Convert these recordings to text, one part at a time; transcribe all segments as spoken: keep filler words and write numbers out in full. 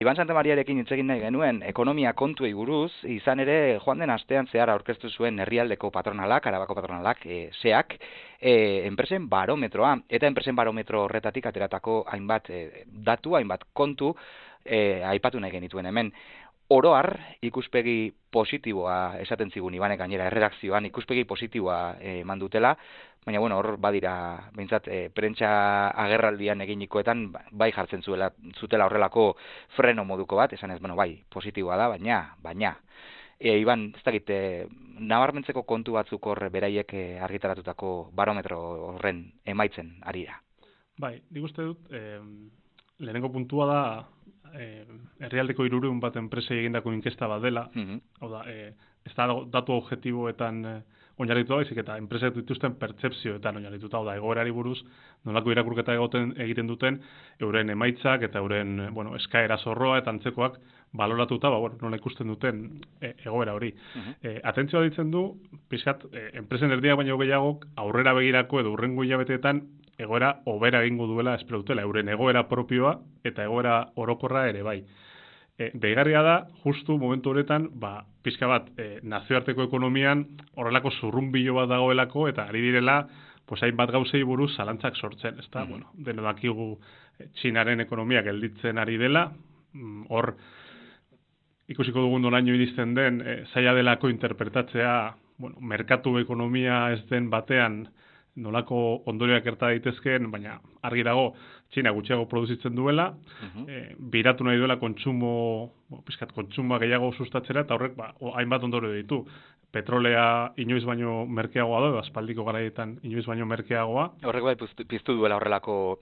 Iban Santamariarekin hitz egin nahi genuen ekonomia kontuei buruz, izan ere joan den astean zehar aurkeztu zuen herrialdeko patronalak, Arabako patronalak, e, seak, e, enpresen barometroa, eta enpresen barometro horretatik ateratako hainbat e, datu, hainbat kontu e, aipatu nahi genituen hemen. Oroar, ikuspegi positiboa esaten zigun Ibanek gainera erredakzioan, ikuspegi positiboa eman dutela, baina bueno, hor badira, behintzat, e, prentsa agerraldian eginikoetan bai jartzen zuela, zutela horrelako freno moduko bat, esan ez, bueno, bai, positiboa da, baina, baina. E, Iban, ez dakit, e, nabarmentzeko kontu batzuk hor beraiek e, argitaratutako barometro horren emaitzen ari da. Bai, nik uste dut, eh, lehenengo puntua da, eh, herrialdeko hirurehun bat enpresei egindako inkesta bat dela, Mhm. hau da, eh, ez da datu objektiboetan eh, oinarrituta baizik eta enpresek dituzten pertzepzioetan oinarrituta, hau da, egoerari buruz nolako irakurketa egoten egiten duten euren emaitzak eta euren eh, bueno, eskaera zorroa eta antzekoak baloratuta, ba, bueno, nola ikusten duten eh, egoera hori. Mhm. Eh, atentzioa ditzen du, pixkat, eh, enpresen erdiak baino gehiago aurrera begirako edo hurrengo hilabeteetan egoera hobera egingo duela espero dutela, euren egoera propioa eta egoera orokorra ere bai. E, deigarria da, justu momentu honetan, ba, pixka bat, e, nazioarteko ekonomian horrelako zurrunbilo bat dagoelako eta ari direla, pues hainbat gauzei buruz zalantzak sortzen, ezta? Mhm. Bueno, deno dakigu Txinaren ekonomia gelditzen ari dela, hor ikusiko dugun noraino iristen den, e, zaila delako interpretatzea, bueno, merkatu ekonomia ez den batean nolako ondorioak gerta daitezkeen, baina argi dago Txina gutxiago produzitzen duela, Mhm. e, biratu nahi duela kontsumo, bueno, pizkat kontsumoa gehiago sustatzera, eta horrek ba, hainbat ondorio ditu. Petrolea inoiz baino merkeagoa da, aspaldiko garaietan inoiz baino merkeagoa. Horrek bai piztu, piztu duela horrelako,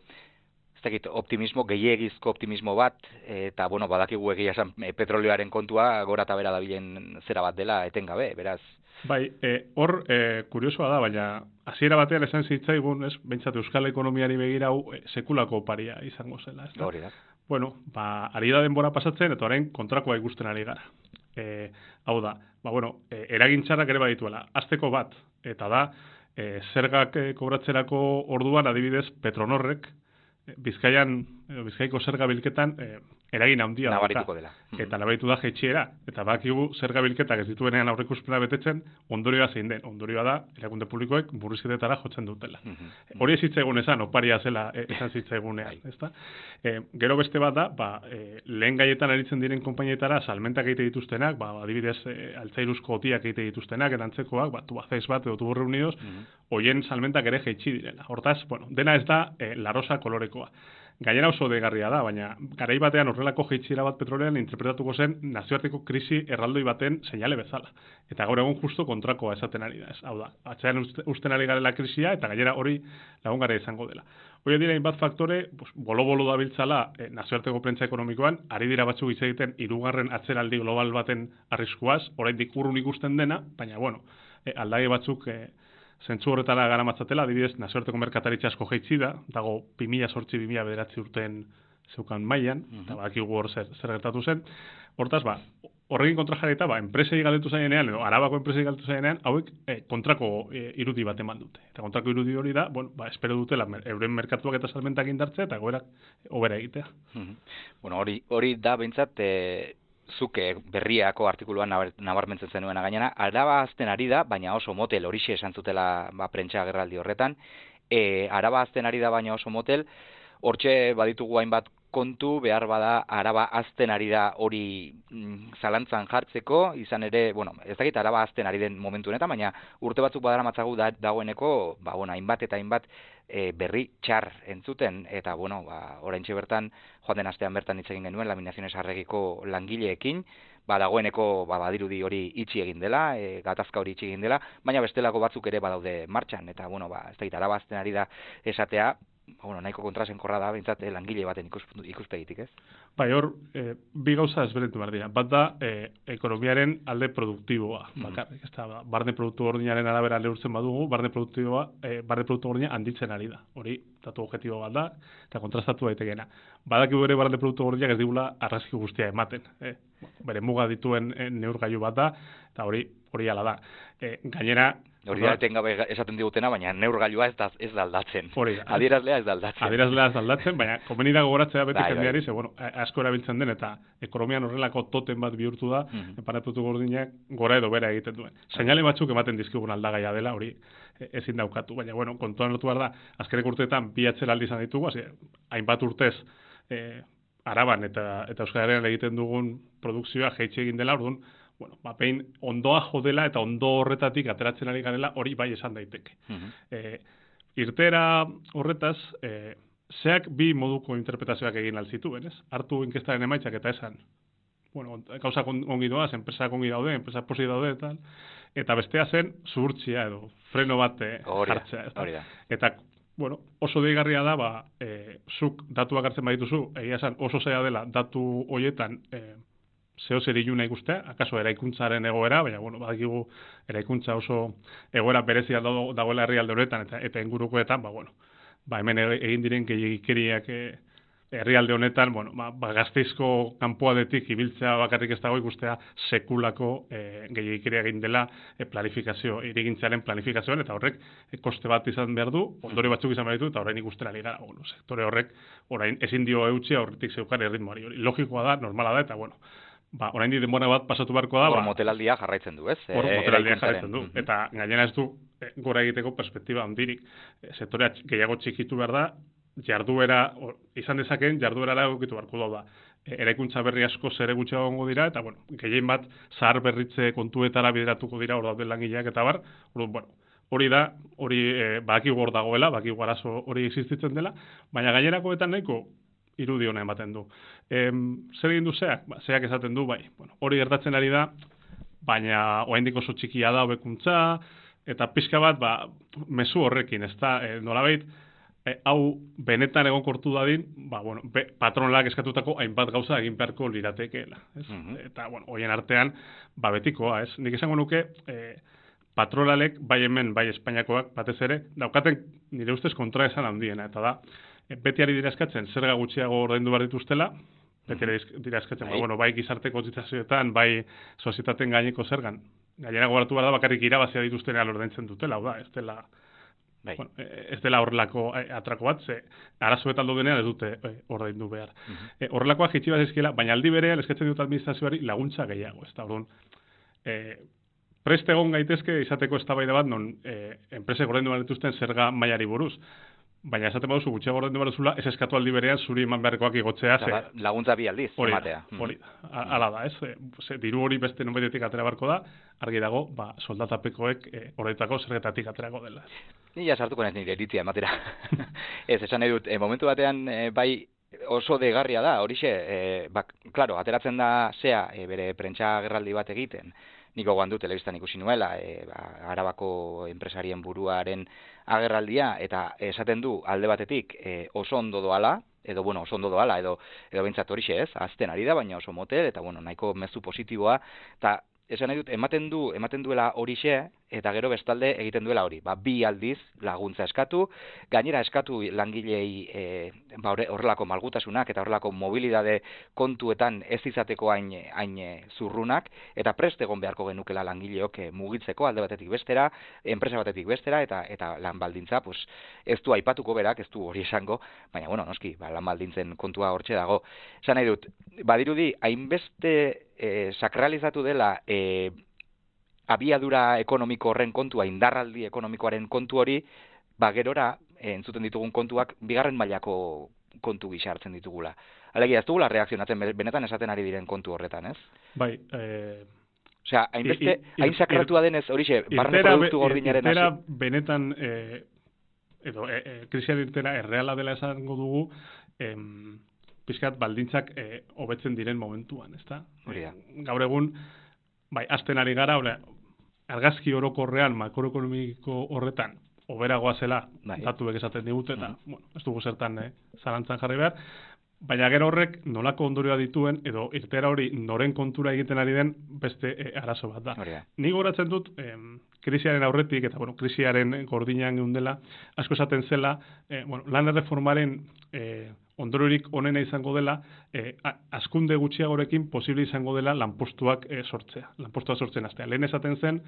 ez dakit, optimismo, gehiegizko optimismo bat, eta, bueno, badakigu egia esan e, petrolioaren kontua gora eta bera dabilen zera bat dela etengabe, beraz. Bai, e, hor, e, kuriosoa da, baina hasiera batean esan zitzaigun, ez, behintzat Euskal Ekonomiari begira hau e, sekulako oparia izango zela, ez da? Hori da. Bueno, ba, ari da denbora pasatzen, eta orain kontrakoa ikusten ari gara. E, hau da, ba, bueno, e, eragintxarrak ere badituela. Azteko bat, eta da, e, zergak e, kobratzerako orduan, adibidez, Petronorrek, e, Bizkaian, e, Bizkaiko zerga bilketan, e, eragin handia nabarituko dela. Eta nabaritu da jaitsiera. Eta bakigu zerga bilketak ez dituenean aurreikuspena betetzen, ondorioa zein den. Ondorioa da, erakunde publikoek murrizketetara jotzen dutela. Mhm. Hori ez zitzaigun esan, oparia zela e, esan zitzaigunean, ezta? E, gero beste bat da, ba, e, lehen gaietan aritzen diren konpainietara salmentak egite dituztenak, ba, adibidez, e, altzairuzko otiak egite dituztenak, erantzekoak, ba, Tubacex bat edo Tubur Reunidos, Mhm. hoien salmentak ere jaitsi direla. Hortaz, bueno, dena ez da e, larosa kolorekoa. Gainera oso degarria da, baina garai batean horrelako jaitsiera bat petrolean interpretatuko zen nazioarteko krisi erraldoi baten seinale bezala. Eta gaur egun justo kontrakoa esaten ari da, ez. Hau da, atzean usten ari garela krisia eta gainera hori lagungara izango dela. Hori dira hainbat faktore, pues, bolo-bolo dabiltzala eh, nazioarteko prentsa ekonomikoan, ari dira batzuk hitz egiten hirugarren atzeraldi global baten arriskuaz, oraindik urrun ikusten dena, baina bueno, eh, aldage batzuk eh, zentzu horretara gara matzatela, adibidez, nazioarteko merkataritza asko jaitsi da, dago bi mila zortzi bi mila bederatzi urteen zeukan mailan, Mhm. eta bakigu hor zer, zer gertatu zen. Hortaz, ba, horrekin kontra jarrita, ba, enpresei galdetu zaienean, edo Arabako enpresei galdetu zaienean, hauek eh, kontrako eh, irudi bat eman dute. Eta kontrako irudi hori da, bueno, ba, espero dutela euren merkatuak eta salmentak indartzea, eta goberak hobera egitea. Mhm. Bueno, hori hori da behintzat, e, zuke berriako artikuluan nabarmentzen zenuena gainera, Araba azten ari da, baina oso motel, horixe esan zutela ba, prentsa agerraldi horretan, e, Araba azten ari da, baina oso motel, hortxe baditugu hainbat kontu, behar bada Araba azten ari da hori mm, zalantzan jartzeko, izan ere, bueno, ez dakit Araba azten ari den momentu honetan, baina urte batzuk badara matzagu da, dagoeneko, ba, bueno, hainbat eta hainbat e, berri txar entzuten, eta, bueno, ba, oraintxe bertan, joan den astean bertan hitz egin genuen, Laminaziones Arregiko langileekin, ba, dagoeneko ba, badirudi hori itxi egin dela, e, gatazka hori itxi egin dela, baina bestelako batzuk ere badaude martxan, eta, bueno, ba, ez dakit Araba azten ari da esatea, bueno, nahiko kontrasenkorra da, bintzat, eh, langile baten ikus, ikuspegitik, ez? Bai, hor, e, bi gauza ezberdintu behar dira. Bat da, e, ekonomiaren alde produktiboa. Mm. Bakarrik, ez da, barne produktu gordinaren arabera lehurtzen badugu, barne produktiboa, e, barne produktu gordina handitzen ari da. Hori, datu objektibo bat da, eta kontrastatu daitekeena. Badakigu ere barne produktu gordinak ez digula arrazki guztia ematen. E, bere muga dituen e, neurgailu bat da, eta hori, hori ala da. E, gainera, Hori da etengabe esaten digutena, baina neurgailua ez da ez da aldatzen. Adierazlea ez da aldatzen. Adierazlea ez da aldatzen, baina komeni da gogoratzea beti jendeari, ze bueno, asko erabiltzen den eta ekonomian horrelako totem bat bihurtu da, enpanatutu gordinak gora edo bera egiten duen. Seinale batzuk ematen dizkigun aldagaia dela, hori ezin daukatu, baina bueno, kontuan hartu behar da, azkenek urteetan bi atzeraldi izan ditugu, hasi hainbat urtez eh, Araban eta eta Euskal Herrian egiten dugun produkzioa jaitsi egin dela, orduan, bueno, ba, pein ondoa jodela eta ondo horretatik ateratzen ari garela hori bai esan daiteke. Uh-huh. e, irtera horretaz, e, zeak bi moduko interpretazioak egin alzituen, ez? Hartu inkestaren emaitzak eta esan, bueno, gauzak ongi doaz, enpresak ongi daude, enpresak posi daude, eta, eta bestea zen zuhurtzia edo freno bat jartzea. Eta bueno, oso deigarria da, ba, e, zuk datuak hartzen badituzu, egia esan oso zaila dela datu horietan e, zeo zer iluna ikustea, akaso eraikuntzaren egoera, baina, bueno, badakigu eraikuntza oso egoera berezia dagoela herrialde horretan eta, eta ingurukoetan, ba, bueno, ba, hemen egin diren gehiagikeriak e, herrialde honetan, bueno, ba, ba Gasteizko kanpoaldetik ibiltzea bakarrik ez dago ikustea sekulako e, gehiagikeria egin dela e, planifikazio, irigintzaren planifikazioan, eta horrek e, koste bat izan behar du, ondori batzuk izan behar ditu, eta orain ikustera ligara, bueno, sektore horrek orain ezin dio eutxia horretik zeukan erritmoari, hori logikoa da, normala da, eta bueno, ba, orain di denbora bat pasatu beharko da. Hor ba, motelaldia jarraitzen du, ez? Hor motelaldia jarraitzen du, eta gainera ez du e, gora egiteko perspektiba handirik, e, sektorea gehiago txikitu behar da, jarduera, or, izan dezakeen, jarduera egokitu beharko da. E, eraikuntza berri asko zere gutxiago gongo dira, eta, bueno, gehien bat, zahar berritze kontuetara bideratuko dira, hor dauden langileak eta bar, hor, bueno, hori da, hori e, baki gor dagoela, baki arazo hori existitzen dela, baina gainerakoetan nahiko irudi hona ematen du. E, zer egin du zeak? Ba, zeak esaten du, bai, bueno, hori gertatzen ari da, baina oraindik oso txikia da hobekuntza, eta pixka bat, ba, mezu horrekin, ez da, e, nolabait, hau benetan egonkortu dadin, ba, bueno, be, patronalak eskatutako hainbat gauza egin beharko liratekeela. Ez? Uh-huh. Eta, bueno, hoien artean, ba, betikoa, ez? Nik esango nuke, e, patronalek, bai hemen, bai Espainiakoak, batez ere, daukaten nire ustez kontra esan handiena, eta da, e, beti ari dira eskatzen, zerga gutxiago ordaindu behar dituztela, beti ari dira eskatzen, bai, bueno, bai gizarte kotitzazioetan, bai sozietateen gaineko zergan, gainera gogoratu behar da, bakarrik irabazia dituztenean ordaintzen dutela, hau da, ez dela, Bai. Bueno, ez dela horrelako atrako bat, ze arazoetan denean ez dute ordaindu behar. Uh-huh. E, horrelakoak jitsi bat ezkiela, baina aldi berean eskatzen dut administrazioari laguntza gehiago. Ez da, orduan, e, preste egon gaitezke izateko eztabaida bat, non e, enpresek ordaindu behar dituzten zerga mailari buruz. Baina esaten baduzu gutxiago ordaindu behar duzula, ez eskatu aldi berean zuri eman beharrekoak igotzea. Ze, laguntza bi aldiz, hori, ematea. Hori, ala da, ez? Ze, diru hori beste nonbaitetik atera barko da, argi dago, ba, soldatapekoek e, horretako zergetatik aterako dela. Ni ja sartuko naiz nire iritzia ematera. Ez, esan nahi dut, e, momentu batean, e, bai, oso degarria da, horixe, e, bak, klaro, ateratzen da zea, e, bere prentsa agerraldi bat egiten, niko goandu telebistan ikusi nuela, e, ba, Arabako enpresarien buruaren agerraldia, eta esaten du alde batetik e, oso ondo doala, edo, bueno, oso ondo doala, edo, edo bintzat horixe ez, azten ari da, baina oso motel, eta, bueno, nahiko mezu positiboa, eta esan nahi dut, ematen du, ematen duela horixe, eta gero bestalde egiten duela hori. Ba, bi aldiz laguntza eskatu, gainera eskatu langilei e, ba, horrelako malgutasunak eta horrelako mobilidade kontuetan ez izateko hain, hain zurrunak, eta prest egon beharko genukela langileok e, mugitzeko alde batetik bestera, enpresa batetik bestera, eta eta lan baldintza, pues, ez du aipatuko berak, ez du hori esango, baina, bueno, noski, ba, lan baldintzen kontua hortxe dago. Esan nahi dut, badirudi, hainbeste e, sakralizatu dela e, abiadura ekonomiko horren kontua, indarraldi ekonomikoaren kontu hori, ba gerora, entzuten ditugun kontuak, bigarren mailako kontu gisa hartzen ditugula. Alegia, ez dugula reakzionatzen benetan esaten ari diren kontu horretan, ez? Bai, eh... Osea, hainbeste, hain sakratua denez, horixe, barne produktu gordinaren hasi. Irtera benetan, eh, edo, eh, eh, krisian irtera erreala dela esango dugu, em, pizkat baldintzak eh, hobetzen diren momentuan, ezta? Hori da. Gaur egun, bai, azten ari gara, ora, argazki orokorrean, makroekonomiko horretan, oberagoa zela, bai, datuek esaten digute, eta, mm. bueno, ez dugu zertan eh, zalantzan jarri behar, baina gero horrek nolako ondorioa dituen, edo irtera hori noren kontura egiten ari den beste eh, arazo bat da. Hori da. Ni goratzen dut, eh, krisiaren aurretik, eta bueno, krisiaren gordinean geundela, asko esaten zela, eh, bueno, lan erreformaren eh, ondoriorik onena izango dela, eh, askunde gutxiagorekin posible izango dela lanpostuak eh, sortzea, lanpostuak sortzen hastea. Lehen esaten zen,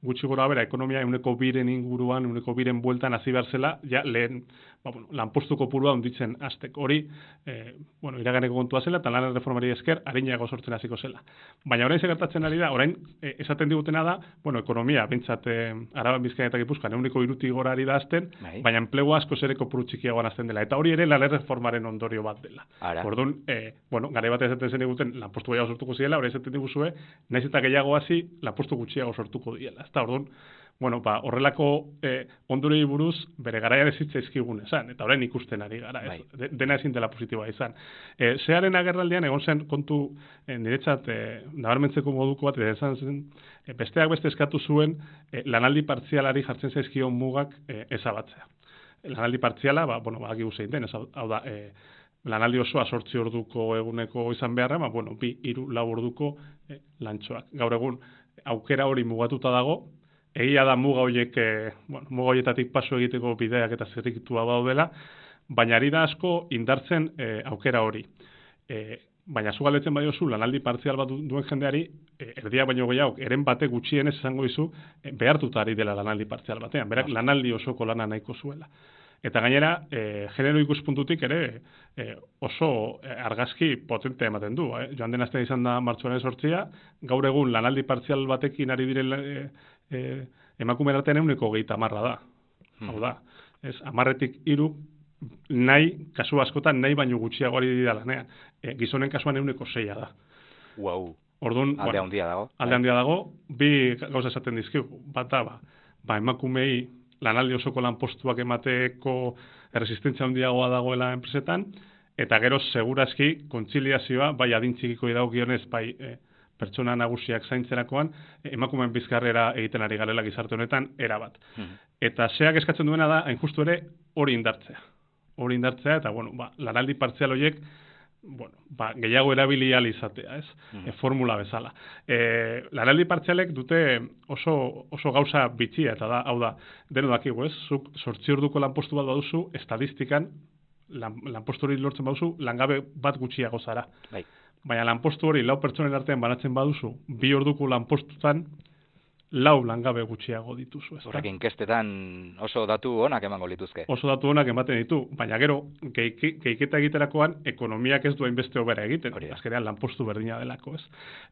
gutxi gora bera, ekonomia euneko biren inguruan, euneko biren bueltan hasi behar zela, ja lehen ba, bueno, lanpostu kopurua onditzen hastek. Hori, eh, bueno, iraganeko kontua zela, eta lan erreformari esker, arinago sortzen hasiko zela. Baina orain segertatzen ari da, orain eh, esaten digutena da, bueno, ekonomia, bintzat, eh, Araban, Bizkaian eta Gipuzkoan, euneko irutik gora ari da azten, baina enplegu asko zereko puru txikiagoan azten dela. Eta hori ere lan erreformaren ondorio bat dela. Orduan, eh, bueno, garai bat esaten zen eguten lanpostu gehiago sortuko ziela, hori esaten diguzue, naiz eta gehiago hasi lanpostu gutxiago sortuko diela. Ezta, orduan, bueno, ba, horrelako eh, ondorioei buruz bere garaian ez zitzaizkigun esan, eta orain ikusten ari gara, ez? De, dena ezin dela positiboa izan. Eh, Zearen agerraldian egon zen kontu eh, niretzat eh, nabarmentzeko moduko bat, eta esan zen, eh, besteak beste eskatu zuen eh, lanaldi partzialari jartzen zaizkion mugak eh, ezabatzea. Lanaldi partziala, ba, bueno, ba, agigu zein den, ez, hau da, eh, lanaldi osoa sortzi orduko eguneko izan beharra, ba, bueno, bi, hiru, lau orduko eh, lantxoak. Gaur egun, aukera hori mugatuta dago, egia da muga horiek, eh, bueno, muga horietatik paso egiteko bideak eta zerrikitua daudela, baina ari da asko indartzen eh, aukera hori. Eh, baina zu galdetzen badiozu lanaldi partzial bat duen jendeari, eh, erdia baino gehiago, eren bate gutxienez esango dizu, eh, behartuta ari dela lanaldi partzial batean, berak lanaldi osoko lana nahiko zuela. Eta gainera, eh, genero ikuspuntutik ere eh, oso argazki potente ematen du. Eh? Joan den astean izan da martxoaren sortzia, gaur egun lanaldi partzial batekin ari diren eh, eh, emakume artean euneko gehieta amarra da. Hmm. Hau da, ez, amarretik hiru nahi, kasu askotan nahi baino gutxiago ari dira lanean. Eh, gizonen kasuan euneko seia da. Wow. Orduan, alde bueno, handia dago. Alde handia dago, bi gauza esaten dizkigu. Bata, ba, ba emakumei lanaldi osoko lanpostuak emateko erresistentzia handiagoa dagoela enpresetan, eta gero segurazki kontziliazioa, bai adintzikiko idagokionez, bai e, pertsona nagusiak zaintzerakoan, emakumeen bizkarrera egiten ari garela gizarte honetan, erabat. Hmm. Eta zeak eskatzen duena da, hain justu ere, hori indartzea. Hori indartzea, eta bueno, ba, lanaldi partzial horiek, bueno, ba, gehiago erabili ahal izatea, ez? Mm. E, formula bezala. E, lanaldi partzialek dute oso, oso gauza bitxia, eta da, hau da, deno dakigu, ez? Zuk sortzi orduko lanpostu bat baduzu, estadistikan, lan, lanpostu hori lortzen baduzu, langabe bat gutxiago zara. Bai. Baina lanpostu hori lau pertsonen artean banatzen baduzu, bi orduko lanpostutan, lau langabe gutxiago dituzu. Ez horrek inkestetan oso datu onak emango lituzke. Oso datu onak ematen ditu, baina gero, geiketa egiterakoan, ekonomiak ez duen beste hobera egiten. Azkenean lanpostu berdina delako, ez.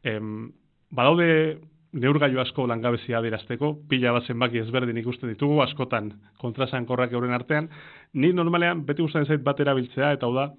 Em, badaude neurgailu asko langabezia adierazteko, pila bat zenbaki ezberdin ikusten ditugu, askotan kontrasankorrak euren artean. Nik normalean beti gustatzen zait bat erabiltzea, eta hau da,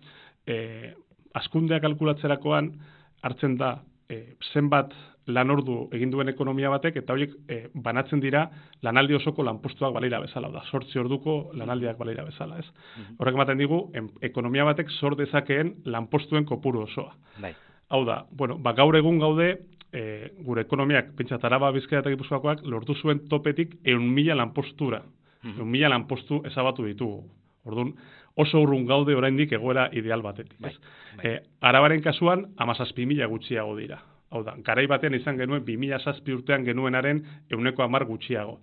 eh, askundea kalkulatzerakoan hartzen da eh, zenbat lan ordu egin duen ekonomia batek, eta horiek e, banatzen dira lanaldi osoko lanpostuak balira bezala, da, sortzi orduko lanaldiak balira bezala, ez? Mm-hmm. Horrek ematen digu, em, ekonomia batek sor dezakeen lanpostuen kopuru osoa. Bai. Hau da, bueno, ba, gaur egun gaude, e, gure ekonomiak, pentsat Araba, Bizkaia eta Gipuzkoakoak, lortu zuen topetik eun mila lanpostura. Mm-hmm. eun mila lanpostu ezabatu ditugu. Orduan, oso urrun gaude oraindik egoera ideal batetik, ez? Bai. Bai. E, Arabaren kasuan, hamazazpi mila gutxiago dira. Hau da, garai batean izan genuen bi mila zazpi urtean genuenaren euneko hamar gutxiago.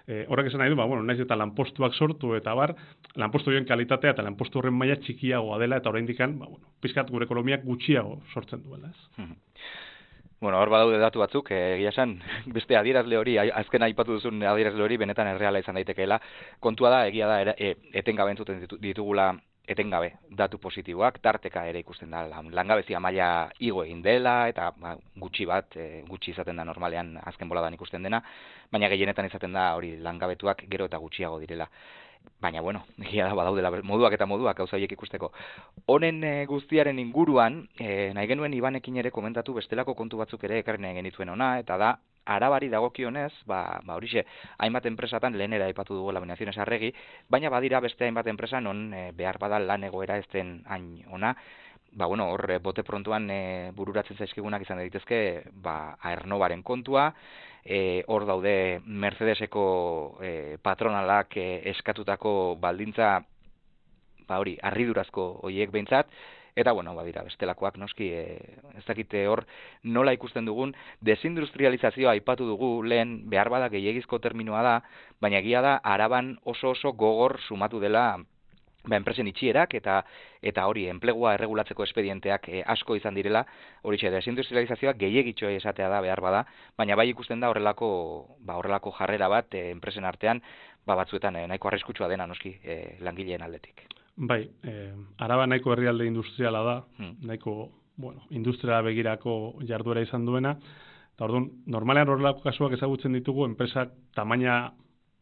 E, horrek esan nahi du, ba, bueno, naiz eta lanpostuak sortu eta bar, lanpostu horien kalitatea eta lanpostu horren maila txikiagoa dela, eta oraindik ba, bueno, pizkat gure ekonomiak gutxiago sortzen duela, ez? Bueno, hor badaude datu batzuk, egia esan, beste adierazle hori, azken aipatu duzun adierazle hori, benetan erreala izan daitekeela. Kontua da, egia da, e, etengabe entzuten ditugula etengabe datu positiboak, tarteka ere ikusten da langabezia maila igo egin dela, eta ba, gutxi bat, e, gutxi izaten da normalean azken boladan ikusten dena, baina gehienetan izaten da hori langabetuak gero eta gutxiago direla. Baina, bueno, egia da badaudela moduak eta moduak gauza horiek ikusteko. Honen e, guztiaren inguruan, e, nahi genuen Ibanekin ere komentatu bestelako kontu batzuk ere ekarri nahi genituen ona, eta da, Arabari dagokionez, ba, ba horixe, hainbat enpresatan lehenera aipatu dugu Laminaciones Arregi, baina badira beste hainbat enpresa non e, behar bada lan egoera ez den hain ona, ba bueno, hor bote prontuan e, bururatzen zaizkigunak izan daitezke, ba Aernnovaren kontua, e, hor daude Mercedeseko e, patronalak e, eskatutako baldintza, ba hori, harridurazko horiek behintzat, Eta, bueno, badira, bestelakoak noski, e, ez dakite hor nola ikusten dugun, desindustrializazioa aipatu dugu lehen, behar bada gehiagizko terminoa da, baina egia da, Araban oso oso gogor sumatu dela ba, enpresen itxierak eta eta hori enplegua erregulatzeko espedienteak e, asko izan direla, hori txe, desindustrializazioa gehiagitxo esatea da behar bada, baina bai ikusten da horrelako, ba, horrelako jarrera bat e, enpresen artean, ba, batzuetan e, nahiko arriskutsua dena noski e, langileen aldetik. Bai, eh, Araba nahiko herrialde industriala da, hmm. nahiko bueno, industria begirako jarduera izan duena, eta orduan, normalean horrelako kasuak ezagutzen ditugu, enpresak tamaina,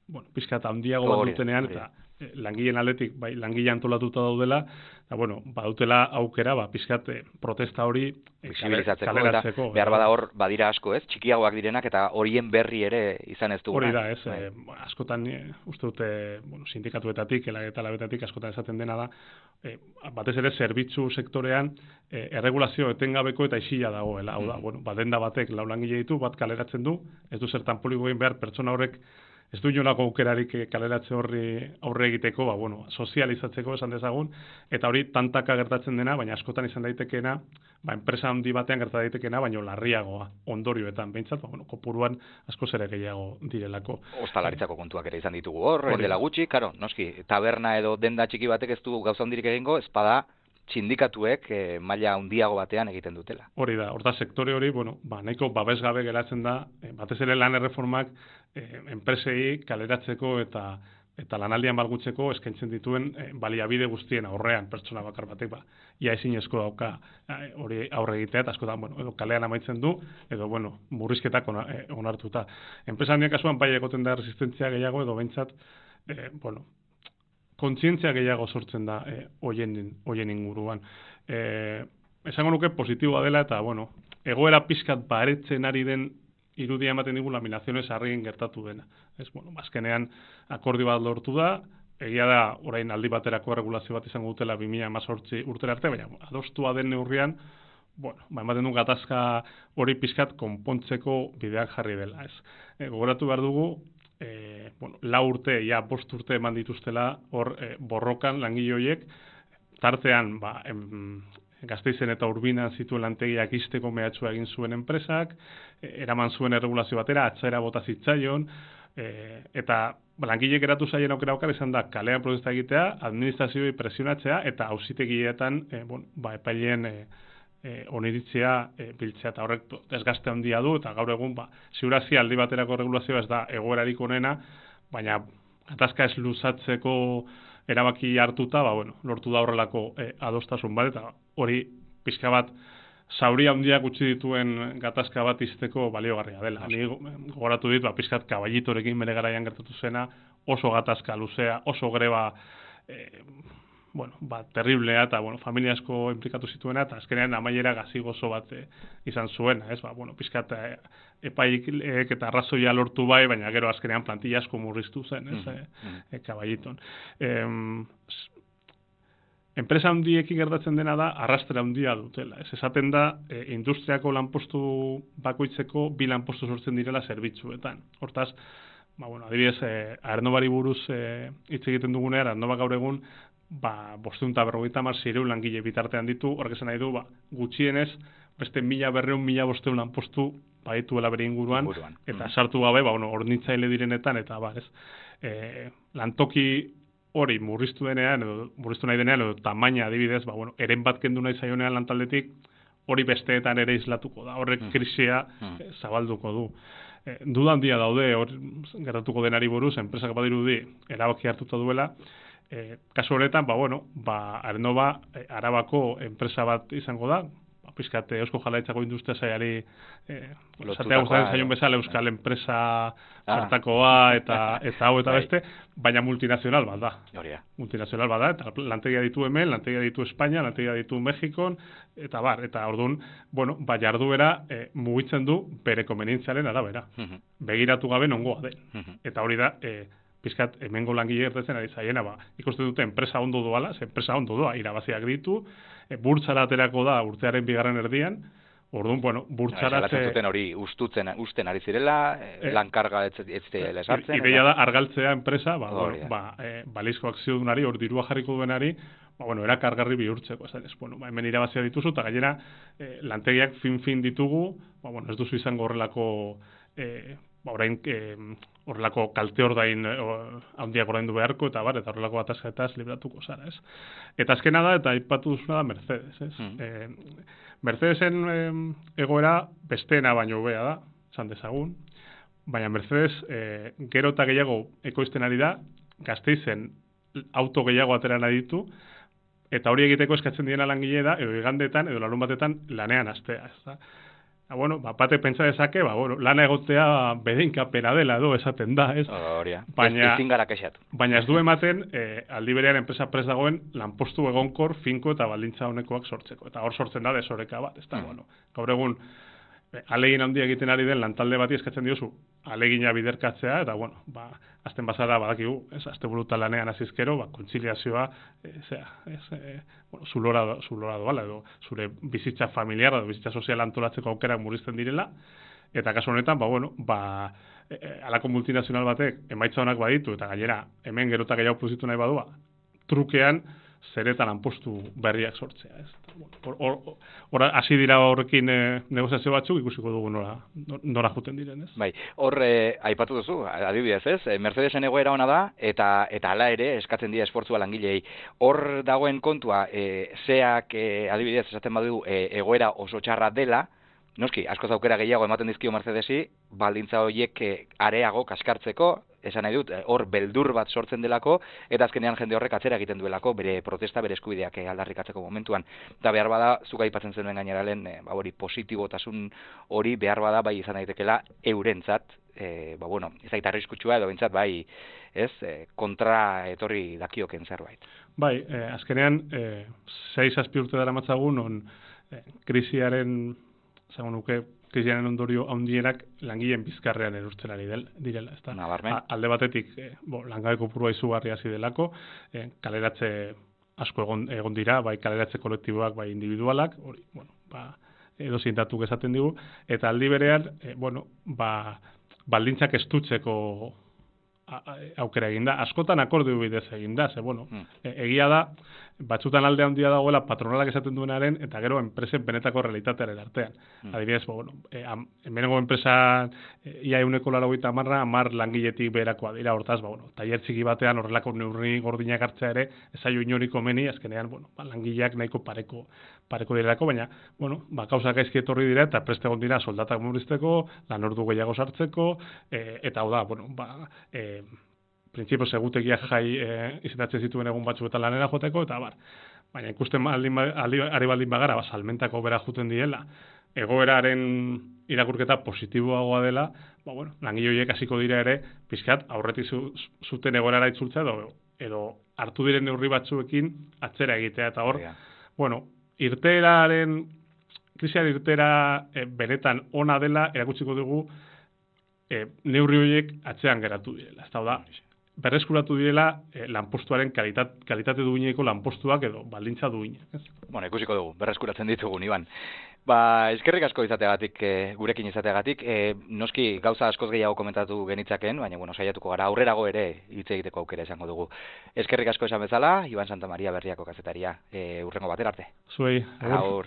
bueno, pizkat handiago bat dutenean, eta langileen aldetik, bai, langile antolatuta daudela, eta, bueno, badutela aukera, ba, pizkat protesta hori kaleratzeko. Behar bada hor, badira asko, ez? Txikiagoak direnak, eta horien berri ere izan ez dugu. Hori da, ez? Bai. E, askotan, e, uste dute, bueno, sindikatuetatik, eta labetatik, askotan esaten dena da, e, batez ere, zerbitzu sektorean, e, erregulazio etengabeko eta isila dagoela. Hau da, mm. bueno, badenda batek lau langile ditu, bat kaleratzen du, ez du zertan politikoen behar pertsona horrek ez du inolako aukerarik kaleratze horri aurre egiteko, ba, bueno, sozializatzeko esan dezagun, eta hori tantaka gertatzen dena, baina askotan izan daitekeena, ba, enpresa handi batean gerta daitekeena, baina larriagoa, ondorioetan, behintzat, ba, bueno, kopuruan asko ere gehiago direlako. Ostalaritzako kontuak ere izan ditugu hor, dela gutxi, karo, noski, taberna edo denda txiki batek ez du gauza handirik egingo, ezpada sindikatuek e, maila handiago batean egiten dutela. Hori da, horta sektore hori, bueno, ba, nahiko babesgabe geratzen da, e, batez ere lan erreformak e, enpresei kaleratzeko eta eta lanaldian balgutzeko eskaintzen dituen e, baliabide guztien aurrean pertsona bakar batek, ba, ia ezinezko dauka e, hori aurre egitea, eta askotan, bueno, edo kalean amaitzen du, edo, bueno, murrizketak ona, e, onartuta. Enpresa handiak kasuan bai egoten da resistentzia gehiago, edo behintzat, e, bueno, kontzientzia gehiago sortzen da eh, oien, oien inguruan. Eh, esango nuke positiboa dela eta, bueno, egoera pizkat baretzen ari den irudia ematen digu laminaziones harrien gertatu dena. Ez, bueno, azkenean akordio bat lortu da, egia da orain aldi baterako regulazio bat izango dutela bi mila hemezortzi urtera arte, baina adostua den neurrian, bueno, ba, ematen du gatazka hori pizkat konpontzeko bideak jarri dela. Ez. E, gogoratu behar dugu, E, bueno, la urte, ja, bost urte eman dituztela hor e, borrokan langile horiek, tartean ba, em, Gasteizen eta Urbinan zituen lantegiak izteko mehatxua egin zuen enpresak, e, eraman zuen erregulazio batera, atzera bota zitzaion, e, eta ba, langileek eratu zaien aukera aukar izan da kalean protesta egitea, administrazioi presionatzea, eta auzitegietan e, bon, ba, epaileen e, E, oniritzea e, biltzea, eta horrek desgaste handia du, eta gaur egun, ba, ziurazia aldi baterako regulazioa ez da egoerarik onena, baina gatazka ez luzatzeko erabaki hartuta, ba, bueno, lortu da horrelako e, adostasun bat, eta hori pixka bat zauri handiak utzi dituen gatazka bat izteko baliogarria dela. Ni gogoratu dit, ba, pixkat kaballitorekin bere garaian gertatu zena, oso gatazka luzea, oso greba e, bueno, ba, terriblea eta, bueno, familia asko implikatu zituena, eta azkenean amaiera gazigozo bat e, izan zuena, ez, ba, bueno, pizkat e, epaik eta arrazoia lortu bai, baina gero azkenean plantilla asko murriztu zen, ez, mm-hmm. e, e, kaballiton. E, enpresa handiekin gertatzen dena da, arrastra handia dutela, ez, esaten da, e, industriako lanpostu bakoitzeko bi lanpostu sortzen direla zerbitzuetan. Hortaz, ba, bueno, adibidez, e, Aernnovari buruz e, hitz egiten dugunean, Aernova gaur egun, ba, bosteun eta berrogeita hamar zireun langile bitartean ditu, horrek esan nahi du, ba, gutxienez, beste mila berreun, mila bosteun lanpostu badituela bere inguruan, inguruan. Eta mm. sartu gabe, ba, bueno, hornitzaile direnetan, eta ba, ez, e, lantoki hori murriztu denean, edo murriztu nahi denean, edo tamaina adibidez, ba, bueno, eren bat kendu nahi zaionean lantaldetik, hori besteetan ere islatuko da, horrek mm. krisia mm. E, zabalduko du. E, duda handia daude, hor gertatuko denari buruz, enpresak badirudi erabaki hartuta duela, E, kasu honetan, ba, bueno, ba, Aernova e, Arabako enpresa bat izango da, ba, pizkat Eusko Jaurlaritzako industria sailari e, zatea gustatzen zaion bezala euskal enpresa hartakoa ah. eta eta hau eta beste, baina multinazional bat da. Horia. Multinazional bat da, eta lantegia ditu hemen, lantegia ditu Espainia, lantegia ditu Mexikon, eta bar, eta orduan, bueno, ba, jarduera e, mugitzen du bere konvenientziaren arabera. Uh-huh. Begiratu gabe nongoa den. Uh-huh. Eta hori da, e, pizkat hemengo langile gertatzen ari zaiena, ba, ikusten dute enpresa ondo doala, ze enpresa ondo doa, irabaziak ditu, e, burtsara aterako da urtearen bigarren erdian, orduan, bueno, burtsaratze... Ja, zuten hori ustutzen, usten ari zirela, e, lankarga ez zirela esartzen... Ideia da, argaltzea enpresa, ba, bueno, ba, e, balizko akziodunari, hor dirua jarriko duenari, ba, bueno, erakargarri bihurtzeko, esan ez, bueno, ba, hemen irabazia dituzu, eta gainera, eh, lantegiak fin-fin ditugu, ba, bueno, ez duzu izango horrelako, eh, ba, orain, eh, horrelako kalte ordain eh, handiak ordaindu beharko, eta bar, eta horrelako atazketaz libratuko zara, ez? Eta azkena da, eta aipatu duzuna da Mercedes, ez? Mm. Eh, Mercedesen eh, egoera besteena baino hobea da, esan dezagun, baina Mercedes eh, gero eta gehiago ekoizten ari da, Gasteizen auto gehiago atera nahi ditu, eta hori egiteko eskatzen diena langile da, edo igandetan, edo larun batetan lanean astea, ez da? Ah, bueno, ba, bate pentsa dezake, ba, bueno, lana egotea bedeinkapena dela edo esaten da, ez? Horia, baina, ezin gara kexatu. Baina ez du ematen, eh, aldi berean enpresa prest dagoen lanpostu egonkor, finko eta baldintza honekoak sortzeko. Eta hor sortzen da desoreka bat, ez da, mm. bueno, gaur egun, alegin handia egiten ari den lantalde bati eskatzen diozu alegina biderkatzea, eta, bueno, ba, azten bazara badakigu, ez, azte buruta lanean azizkero, ba, kontziliazioa, e, zera, ez, e, bueno, zulora, zulora doala, edo, zure bizitza familiar, edo bizitza sozial antolatzeko aukerak murrizten direla, eta kasu honetan, ba, bueno, ba, e, e, alako multinazional batek emaitza honak baditu, eta gainera, hemen gerota gehiago plusitu nahi badua, trukean, zeretan lanpostu berriak sortzea, ez? Hor hasi dira horrekin e, negoziazio batzuk, ikusiko dugu nora, nora juten diren, ez? Bai, hor eh, aipatu duzu, adibidez, ez? Mercedesen egoera ona da, eta eta hala ere eskatzen dira esfortzua langilei. Hor dagoen kontua, e, zeak e, adibidez esaten badu e, egoera oso txarra dela, noski, askoz aukera gehiago ematen dizkio Mercedesi, baldintza horiek e, areago kaskartzeko, esan nahi dut, hor beldur bat sortzen delako, eta azkenean jende horrek atzera egiten duelako, bere protesta, bere eskubideak aldarrikatzeko momentuan. Eta behar bada, zuka aipatzen zenuen gaineralen, e, ba, hori positibotasun hori behar bada bai izan daitekela eurentzat, e, ba, bueno, ez aita arriskutsua edo bintzat bai, ez, e, kontra etorri dakioken zerbait. Bai, e, azkenean, e, sei zazpi urte dara matzagun, on e, krisiaren, zango nuke, krisiaren ondorio handienak langileen bizkarrean erurtzen ari del, direla, ezta? Nabarmen. Alde batetik, e, bo, langabe kopurua izugarri hasi delako, e, kaleratze asko egon, egon dira, bai kaleratze kolektiboak, bai individualak, hori, bueno, ba, edo zintatuk esaten digu, eta aldi berean, e, bueno, ba, baldintzak estutzeko aukera egin da. Askotan akordio bidez egin da, ze, bueno, mm. e, egia da, batzutan alde handia dagoela patronalak esaten duenaren, eta gero enpresen benetako realitatearen artean. Mm. Adibidez, bueno, e, hemengo enpresan e, ia euneko laurogeita hamarra, hamar langiletik beherakoa dira, hortaz, ba, bueno, tailer txiki batean horrelako neurri gordinak hartzea ere, ez zaio inoriko meni, azkenean, bueno, ba, langileak nahiko pareko, pareko direlako, baina, bueno, ba, gauzak gaizki etorri dira, eta preste egon dira soldatak murrizteko, lan ordu gehiago sartzeko, e, eta hau da, bueno, ba, e, printzipioz egutegiak jai e, izetatzen zituen egun batzuetan lanera joteko, eta bar. Baina ikusten aldin, ari baldin bagara, ba, salmentako bera juten diela, egoeraren irakurketa positiboagoa dela, ba, bueno, langile horiek hasiko dira ere, pizkat aurretik zu, zuten egoerara itzultzea, edo, edo hartu diren neurri batzuekin atzera egitea, eta hor, yeah. bueno, irteeraren, krisian irtera e, benetan ona dela, erakutsiko dugu, e, neurri horiek atzean geratu direla, ez da, berreskuratu direla eh, lanpostuaren kalitat, kalitate duineko lanpostuak edo baldintza duinak. Ez? Bueno, ikusiko dugu, berreskuratzen ditugu, Iban. Ba, eskerrik asko izateagatik, e, gurekin izateagatik, e, noski gauza askoz gehiago komentatu genitzaken, baina bueno, saiatuko gara aurrerago ere hitz egiteko aukera izango dugu. Eskerrik asko esan bezala, Iban Santamaria Berriako kazetaria, e, urrengo batera arte. Zuei, agur.